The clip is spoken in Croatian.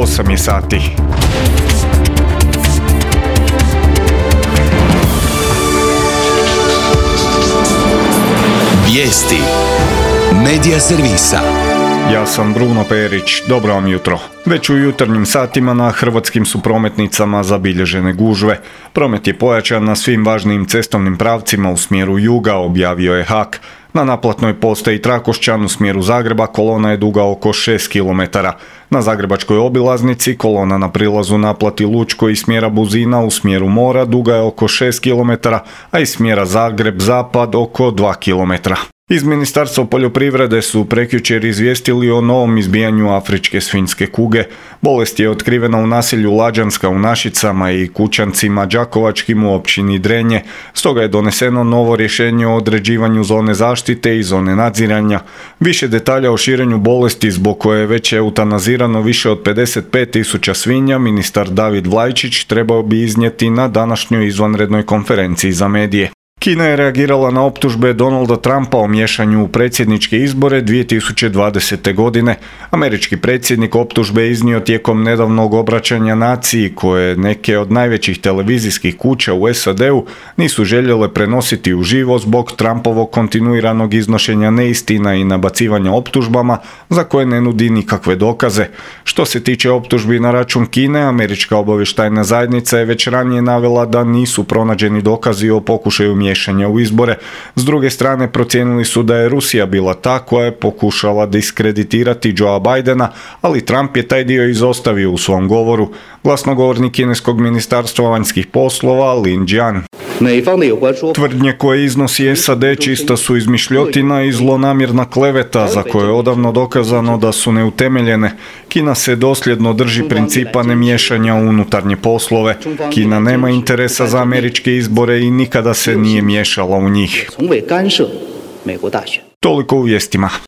8 je sati. Vijesti Medija servisa. Ja sam Bruno Perić, dobro vam jutro. Već u jutarnjim satima na hrvatskim su prometnicama zabilježene gužve. Promet je pojačan na svim važnijim cestovnim pravcima u smjeru juga, objavio je HAK. Na naplatnoj postaji Trakošćan u smjeru Zagreba kolona je duga oko 6 km. Na zagrebačkoj obilaznici kolona na prilazu naplati Lučko iz smjera Buzina u smjeru mora duga je oko 6 km, a iz smjera Zagreb-Zapad oko 2 km. Iz Ministarstva poljoprivrede su prekjučer izvijestili o novom izbijanju afričke svinjske kuge. Bolest je otkrivena u naselju Lađanska u Našicama i Kućancima Đakovačkim u općini Drenje. Stoga je doneseno novo rješenje o određivanju zone zaštite i zone nadziranja. Više detalja o širenju bolesti zbog koje je već eutanazirano više od 55.000 svinja, ministar David Vlajčić trebao bi iznijeti na današnjoj izvanrednoj konferenciji za medije. Kina je reagirala na optužbe Donalda Trumpa o miješanju u predsjedničke izbore 2020. godine. Američki predsjednik optužbe iznio tijekom nedavnog obraćanja naciji koje neke od najvećih televizijskih kuća u SAD-u nisu željele prenositi uživo zbog Trumpovog kontinuiranog iznošenja neistina i nabacivanja optužbama za koje ne nudi nikakve dokaze. Što se tiče optužbi na račun Kine, američka obavještajna zajednica je već ranije navela da nisu pronađeni dokazi o pokušaju miješanja u izbore. S druge strane, procijenili su da je Rusija bila ta koja je pokušala diskreditirati Joea Bidena, ali Trump je taj dio izostavio u svom govoru. Glasnogovornik kineskog ministarstva vanjskih poslova Lin Jian. Tvrdnje koje iznosi SAD čista su izmišljotina i zlonamjerna kleveta za koje je odavno dokazano da su neutemeljene. Kina se dosljedno drži principa nemiješanja u unutarnje poslove. Kina nema interesa za američke izbore i nikada se nije miješala u njih. Toliko u vijestima.